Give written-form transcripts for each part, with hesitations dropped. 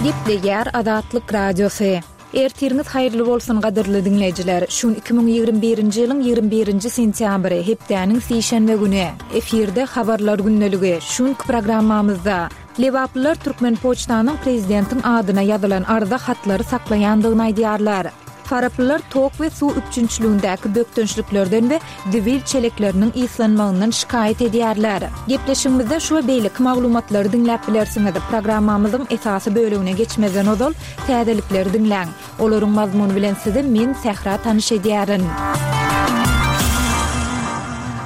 Gepleýär Azatlyk Radiosy. Ertiriňiz haýyrly bolsun gadyrly diňleýjiler! Şu gün 2021-nji ýylyň 21-nji sentýabry, hepdäniň sişenbe güni. Efirde Habarlar gündeligi. Şu günki programmamyzda. Lebaplylar Türkmenpoçtanyň prezidentiň adyna ýazylan arza hatlary saklaýandygyny aýdýarlar. Faraplylar tok we suw üpjünçiligindäki bökdençliklerden we zibil çelekleriniň yslanmagyndan şikaýat edýärler. Gepleşigimizde şu we beýleki maglumatlary diňläp bilersiňiz. Programmamyzyň esasy bölegine geçmezden ozal, täzelikleri diňläň. Olaryň mazmuny bilen sizi men, Sähra tanyş edýärin.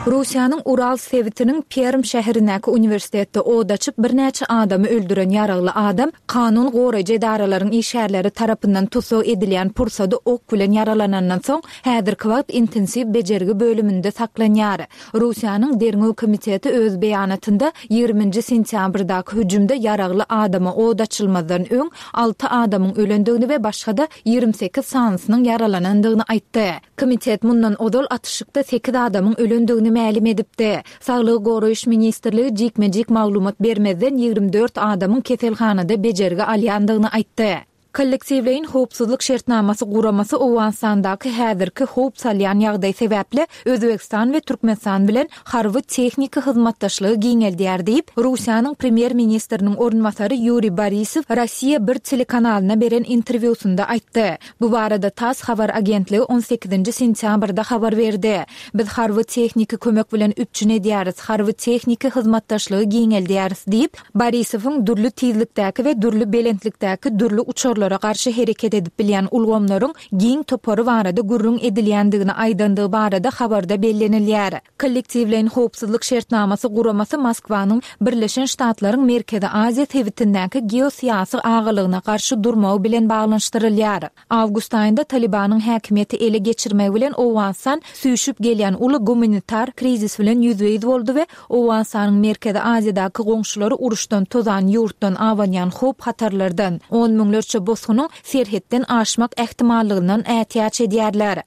Russiýanyň Ural sebitiniň Perm şäherindäki uniwersitetde od açyp, birnäçe adamy öldüren ýaragly adam kanun goraýjy edaralaryň işgärleri tarapyndan tussag edilýän pursady ok bilen ýaralanandan soň, häzirki wagt intensiw bejergi bölüminde saklanýar. Russiýanyň Derňew komiteti öz beýanatynda ýigriminji sentýabrdaky hüjümde ýaragly adama od açylmazdan öň alty adamyň ölendigini we başga-da 28 sanysynyň ýaralanandygyny aýtdy. Komitet mundan ozal atyşykda sekiz adamyň ölendigini mälim edipdi. Saglygy goraýyş ministrligi jikme-jik maglumat bermezden 24 adamyň keselhanada bejergi alýandygyny aýtdy. Kollektiwleýin howpsuzlyk şertnamasy guramasy Owganystandaky häzirki howp salýan ýagdaý sebäpli Özbegistan we Türkmenistan bilen harby-tehniki hyzmatdaşlygy giňeldýär diýip, Russiýanyň premýer-ministriniň orunbasary Ýuriý Borisow Rossiýa bir telekanalyna beren interwýusynda aýtdy. Bu barada tass habar agentligi on sekizinji sentýabrda habar berdi. Biz harby-tehniki kömek bilen üpjün edýäris, harby-tehniki hyzmatdaşlygy giňeldýäris diýip, Borisowyň dürli tizlikdäki we dürli belentlikdäki dürli uçarlara garşy hereket edip bilýän ulgamlaryň giň topary barada gürrüň edilýändigini aýdandygy barada habarda bellenilýär. Kollektiwleýin howpsuzlyk şertnamasy guramasy Moskwanyň Birleşen Ştatlaryň Merkezi Aziýa sebitindäki geosyýasy agalygyna garşy durmagy bilen baglanyşdyrylýar. Awgust aýynda Talibanyň häkimiýeti ele geçirmegi bilen Owganystan süýşüp gelýän uly gumanitar krizis bilen ýüzbe-ýüz boldy we Owganystanyň Merkezi Aziýadaky goňşulary uruşdan tozan ýurtdan abanýan howp-hatarlardan, on müňlerçe bosgunyň serhetden aşmak ähtimallygyndan ätiýaç edýärler.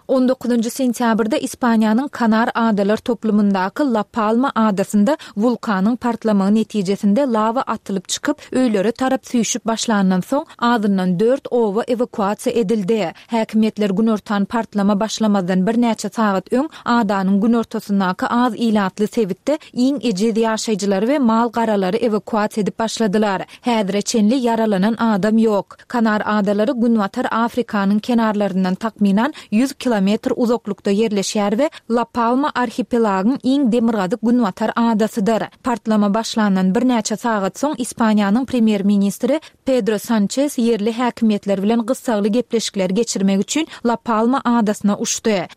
On dokuzynjy sentýabrda Ispaniýanyň Kanar adalar toplumyndaky La Palma adasynda wulkanyň partlamagy netijesinde lawa atylyp çykyp, öýlere tarap süýşüp başlandan soň, azyndan dört oba ewakuasiýa edildi. Häkimiýetler günortan partlama başlamazdan birnäçe sagat öň adanyň günortasyndaky az ilatly sebitde iň ejiz ýaşaýjylary we mal-garalary ewakuasiýa edip başladylar. Häzire çenli ýaralanan adam ýok. Kanar adalary Günbatar Afrikanyň kenarlaryndan takmynan 100 kilometr uzaklykda ýerleşýär we La Palma arhipelagyň iň demirgazyk-günbatar adasydyr. Partlama başlandan birnäçe sagat soň Ispaniýanyň premýer-ministri Pedro Sançes ýerli häkimiýetler bilen gyssagly gepleşikler geçirmek üçin La Palma adasyna uçdy.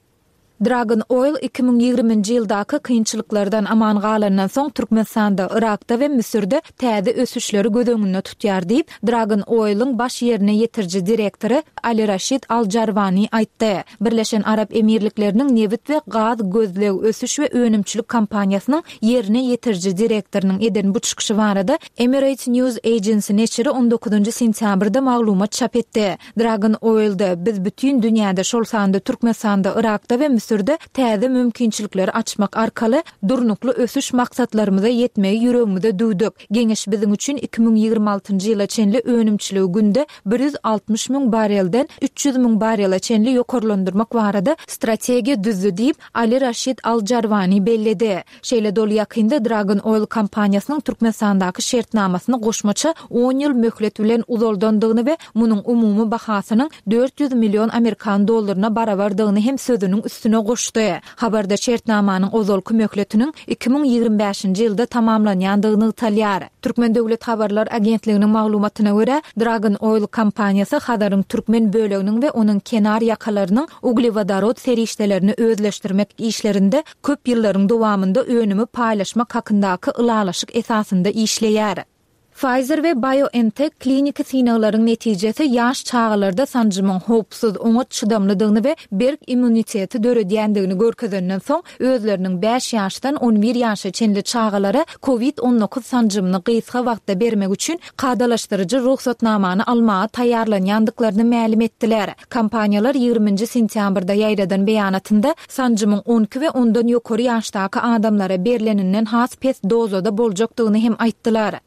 Dragon Oil 2020-nji ýyldaky kynçylyklardan aman galandan soň Türkmenistanda, Yrakda we Müsürde täze ösüşleri göz öňünde tutýar diýip, Dragon Oil-iň baş ýerine ýetiriji direktory Ali Raşid Al Jarwani aýtdy. Birleşen Arap Emirlikleriniň nebit we gaz gözleg, ösüş we önümçilik kompaniýasynyň ýerine ýetiriji direktorynyň eden bu çykyşy barada Emirates News Agency neşiri on dokuzynjy sentýabrda maglumat çap etdi. Dragon Oil-de, Biz bütin dünýäde, şol sanda Türkmenistanda, Yrakda we Müsürde täze mümkinçilikleri açmak arkaly durnukly ösüş maksatlarymyza ýetmegi ýüregimize düwdük. Geňeş biziň üçin 2026-njy ýyla çenli önümçiligi günde 160 müň barrelden 300 müň barrele çenli ýokarlandyrmak barada strategiýa düzdi diýip, Ali Raşid Al Jarwani belledi. Şeýle-de ol ýakynda Dragon Oil kompaniýasynyň Türkmenistandaky şertnamasyny goşmaça on ýyl möhlet bilen uzaldandygyny we munuň umumy bahasynyň 400 million amerikan dollaryna barabardygyny hem sözüniň üstüne goşdy. Habarda şertnamanyň ozalky möhletiniň 2025-nji ýylda tamamlanýandygy nygtalýar. Türkmen döwlet habarlar agentliginiň maglumatyna görä, Dragon Oil kompaniýasy Hazaryň türkmen böleginiň we onuň kenar ýakalarynyň uglewodorod serişdelerini özleşdirmek işlerinde köp ýyllaryň dowamynda önümi paýlaşmak hakyndaky ylalaşyk esasynda işleýär. Pfizer we BioNTech kliniki synaglaryň netijesi ýaş çagalarda sanjymyň howpsuz, oňat çydamlydygyny we berk immuniteti döredýändigini görkezenden soň, özleriniň bäş ýaşdan on bir ýaşa çenli çagalara Covid 19 sanjymyny gysga wagtda bermek üçin kadalaşdyryjy rugsatnamany almaga taýýarlanýandyklaryny mälim etdiler. Kompaniýalar ýigriminji sentýabrda ýaýradan beýanatynda sanjymyň on iki we ondan ýokary ýaşdaky adamlara berleninden has pes dozada boljakdygyny hem aýtdylar.